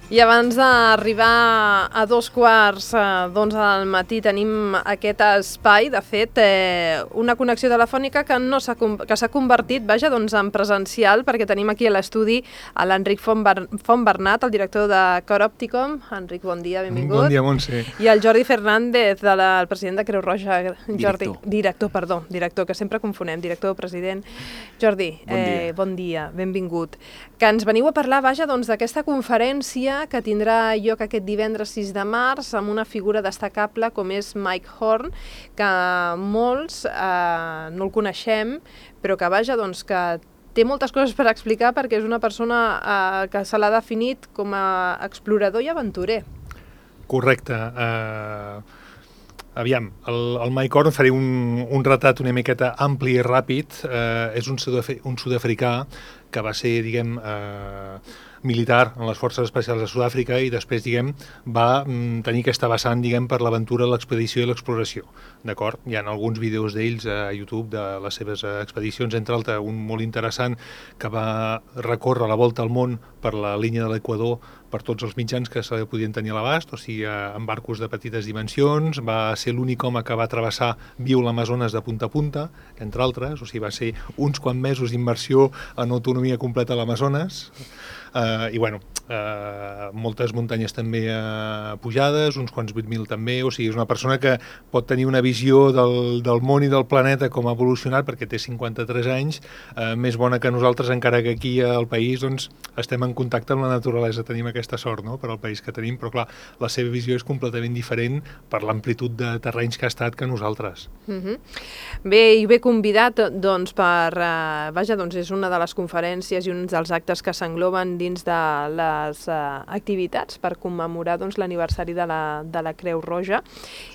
I abans d'arribar a 2:15 del matí tenim aquest espai, de fet, una connexió telefònica que s'ha convertit, en presencial, perquè tenim aquí a l'estudi a l'Enric Fontbernat, el director de Cor Opticom. Enric, bon dia, benvingut. Bon dia, Montse. I el Jordi Fernández, el president de Creu Roja. Director, que sempre confonem, director, president. Jordi, bon dia, benvingut. Que ens veniu a parlar, d'aquesta conferència que tindrà lloc aquest divendres 6 de març amb una figura destacable com és Mike Horn, que molts no el coneixem, però que que té moltes coses per explicar perquè és una persona que se l'ha definit com a explorador i aventurer. Correcte. Aviam, el Mike Horn, faré un retrat una miqueta ampli i ràpid. És un sud-africà que va ser, militar en les Forces Especials de Sud-àfrica i després, va tenir aquesta vessant, per l'aventura, l'expedició i l'exploració. D'acord? Hi ha alguns vídeos d'ells a YouTube de les seves expedicions, entre altres un molt interessant que va recórrer la volta al món per la línia de l'Equador per tots els mitjans que se podien tenir a l'abast, o sigui, en barcos de petites dimensions. Va ser l'únic home que va travessar viu l'Amazones de punta a punta, entre altres, o sigui, va ser uns quants mesos d'immersió en autonomia completa a l'Amazones. Moltes muntanyes també pujades, uns quants 8.000 també, o sigui, és una persona que pot tenir una visió del món i del planeta com ha evolucionat, perquè té 53 anys, més bona que nosaltres, encara que aquí al país estem en contacte amb la naturalesa, tenim aquesta sort, no?, per al país que tenim, però clar, la seva visió és completament diferent per l'amplitud de terrenys que ha estat que nosaltres. Bé, i bé convidat, és una de les conferències i uns dels actes que s'engloben dins de les activitats per commemorar l'aniversari de la Creu Roja.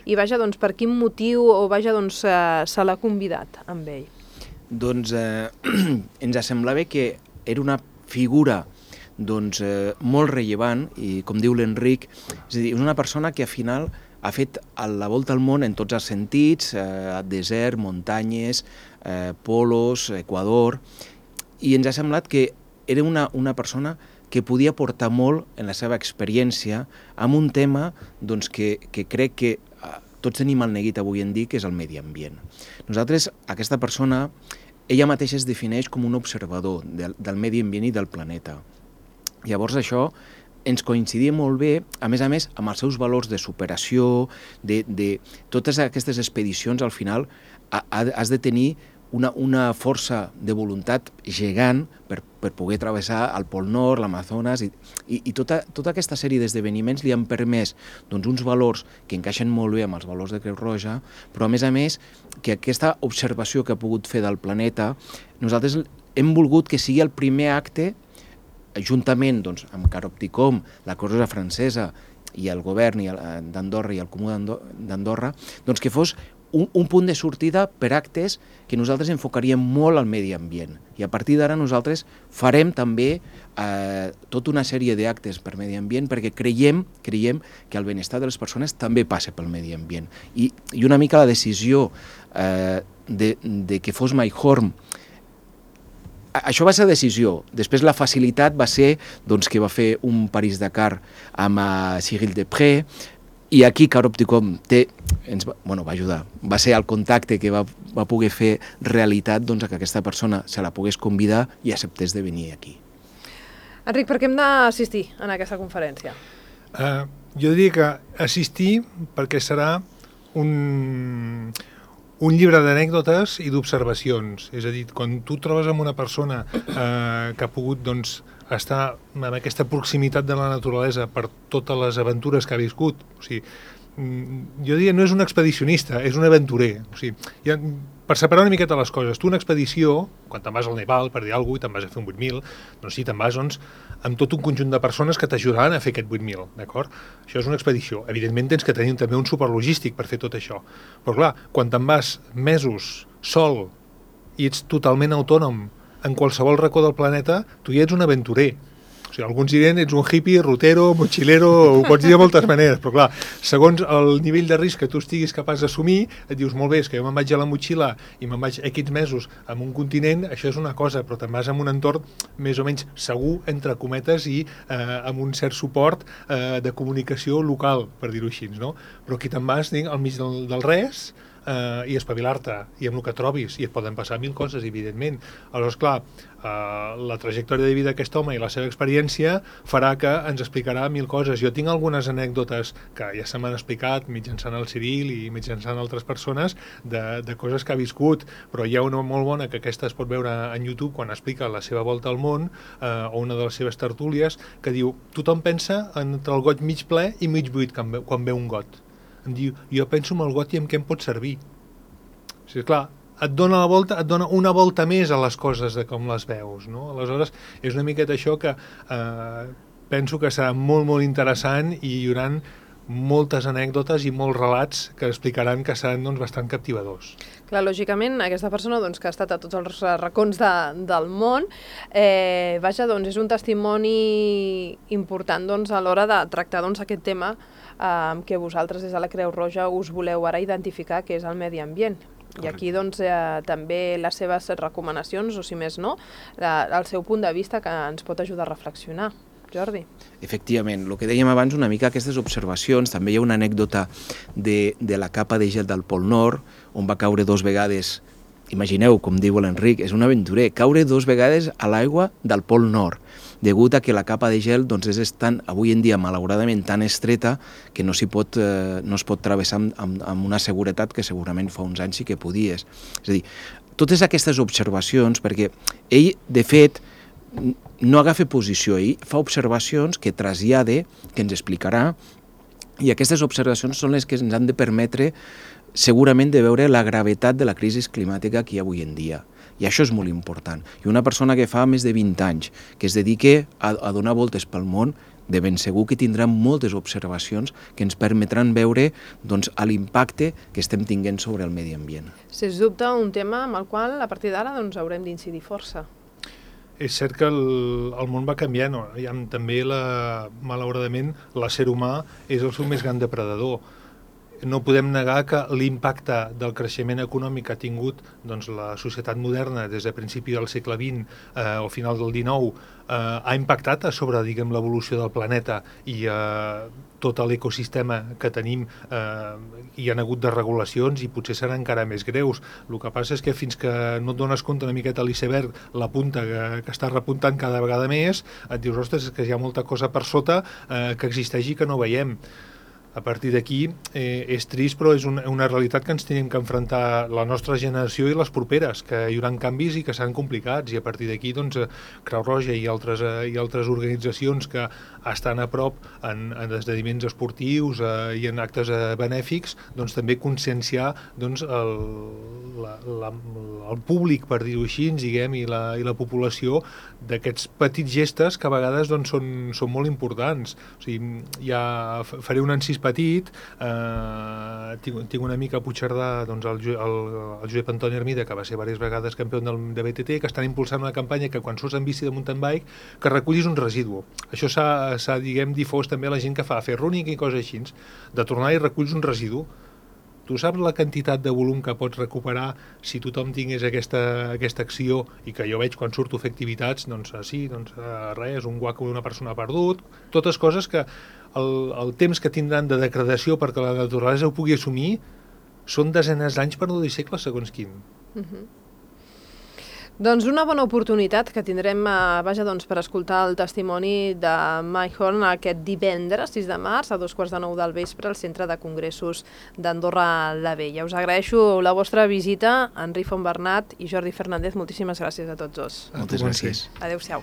I per quin motiu se l'ha convidat amb ell? Ens semblava que era una figura molt rellevant i, com diu l'Enric, és a dir, és una persona que al final ha fet la volta al món en tots els sentits, desert, muntanyes, polos, Equador, i ens ha semblat que era una persona que podia aportar molt en la seva experiència amb un tema que crec que tots tenim el neguit avui en dia, que és el medi ambient. Nosaltres, aquesta persona, ella mateixa es defineix com un observador del medi ambient i del planeta. Llavors això ens coincidia molt bé, a més, amb els seus valors de superació, de totes aquestes expedicions, al final has de tenir una força de voluntat gegant per poder travessar el Pol Nord, l'Amazones, i tota aquesta sèrie d'esdeveniments li han permès uns valors que encaixen molt bé amb els valors de Creu Roja, però a més que aquesta observació que ha pogut fer del planeta, nosaltres hem volgut que sigui el primer acte, juntament amb Cor Opticom, la Creu Roja francesa i el govern d'Andorra i el Comú d'Andorra, que fos un punt de sortida per actes que nosaltres enfocaríem molt al medi ambient. I a partir d'ara nosaltres farem també tota una sèrie d'actes per medi ambient perquè creiem que el benestar de les persones també passa pel medi ambient. I una mica la decisió de que fos Mike Horn, això va ser decisió. Després la facilitat va ser que va fer un París-Dakar amb Cyril Depré, i aquí Cor Opticom va ajudar. Va ser el contacte que va poder fer realitat que aquesta persona se la pogués convidar i acceptés de venir aquí. Enric, per què hem d'assistir en aquesta conferència? Jo diria que assistir perquè serà un llibre d'anècdotes i d'observacions. És a dir, quan tu trobes amb una persona que ha pogut estar en aquesta proximitat de la naturalesa per totes les aventures que ha viscut, o sigui, jo diria, no és un expedicionista, és un aventurer. O sigui, per separar una miqueta les coses, tu una expedició, quan te'n vas al Nepal, per dir alguna cosa, i te'n vas a fer un 8.000, doncs sí, te'n vas amb tot un conjunt de persones que t'ajudaran a fer aquest 8.000, d'acord? Això és una expedició. Evidentment tens que tenir també un suport logístic per fer tot això. Però clar, quan te'n vas mesos sol i ets totalment autònom en qualsevol racó del planeta, tu ja ets un aventurer. O sigui, alguns dirien ets un hippie, rutero, mochilero, ho pots dir de moltes maneres, però clar, segons el nivell de risc que tu estiguis capaç d'assumir, et dius, molt bé, és que jo me'n vaig a la motxilla i me'n vaig X mesos en un continent, això és una cosa, però te'n vas en un entorn més o menys segur, entre cometes, i amb un cert suport de comunicació local, per dir-ho així, no? Però aquí te'n vas al mig del res, i espavilar-te, i amb el que trobis, i et poden passar mil coses, evidentment. Aleshores, clar, la trajectòria de vida d'aquest home i la seva experiència farà que ens explicarà mil coses. Jo tinc algunes anècdotes que ja se m'han explicat mitjançant el Ciril i mitjançant altres persones de coses que ha viscut, però hi ha una molt bona que aquesta es pot veure en YouTube quan explica la seva volta al món, o una de les seves tertúlies, que diu, tothom pensa entre el got mig ple i mig buit quan veu un got. Em diu, jo penso en el got i en què em pot servir. O sigui, clar, et dona una volta més a les coses de com les veus, no? Aleshores, és una miqueta això que penso que serà molt, molt interessant i hi haurà moltes anècdotes i molts relats que explicaran que seran bastant captivadors. Clar, lògicament, aquesta persona que ha estat a tots els racons del món, és un testimoni important a l'hora de tractar aquest tema que vosaltres des de la Creu Roja us voleu ara identificar, que és el medi ambient. I aquí també les seves recomanacions, o si més no, el seu punt de vista que ens pot ajudar a reflexionar. Jordi. Efectivament, el que dèiem abans, una mica aquestes observacions, també hi ha una anècdota de la capa de gel del Pol Nord, on va caure 2 vegades, imagineu, com diu l'Enric, és un aventurer, caure 2 vegades a l'aigua del Pol Nord, degut a que la capa de gel és avui en dia, malauradament, tan estreta que no es pot travessar amb una seguretat que segurament fa uns anys sí que podies. És a dir, totes aquestes observacions, perquè ell, de fet, no agafa posició, ell fa observacions que trasllada, que ens explicarà, i aquestes observacions són les que ens han de permetre segurament de veure la gravetat de la crisi climàtica que hi ha avui en dia. I això és molt important. I una persona que fa més de 20 anys, que es dedica a donar voltes pel món, de ben segur que tindrà moltes observacions que ens permetran veure l'impacte que estem tinguent sobre el medi ambient. Sens dubte, un tema amb el qual a partir d'ara haurem d'incidir força. És cert que el món va canviant, també malauradament l'ésser humà és el seu més gran depredador. No podem negar que l'impacte del creixement econòmic que ha tingut la societat moderna des de principi del segle XX o final del XIX ha impactat sobre l'evolució del planeta i tot l'ecosistema que tenim. Hi ha hagut desregulacions i potser seran encara més greus. El que passa és que fins que no et dones compte una miqueta a l'iceberg, la punta que està repuntant cada vegada més, et dius, ostres, és que hi ha molta cosa per sota que existeix i que no veiem. A partir d'aquí és trist, però és una realitat que ens tenim que enfrontar la nostra generació i les properes, que hi haurà canvis i que seran complicats, i a partir d'aquí Creu Roja i altres organitzacions que estan a prop en esdeveniments esportius i en actes benèfics, també conscienciar el públic, per dir-ho així, diguem, i la població d'aquests petits gestes que a vegades són molt importants. O sigui, ja faré un encís petit, tinc una amic a Puigcerdà, el Josep Antoni Hermida, que va ser diverses vegades campió de BTT, que estan impulsant una campanya que quan surts en bici de mountain bike que recullis un residu. Això s'ha difós també a la gent que fa fer running i coses així, de tornar i reculls un residu. Tu saps la quantitat de volum que pots recuperar si tothom tingués aquesta acció, i que jo veig quan surto a fer activitats, res, un guaco d'una persona ha perdut, totes coses que el temps que tindran de degradació perquè la naturalesa ho pugui assumir són desenes d'anys, per no dir segles, segons quin. Doncs una bona oportunitat que tindrem per escoltar el testimoni de Mike Horn aquest divendres 6 de març a 8:45 del vespre al Centre de Congressos d'Andorra la Vella. Us agraeixo la vostra visita, Enric Fontbernat i Jordi Fernández. Moltíssimes gràcies a tots dos. Moltes gràcies. Adéu-siau.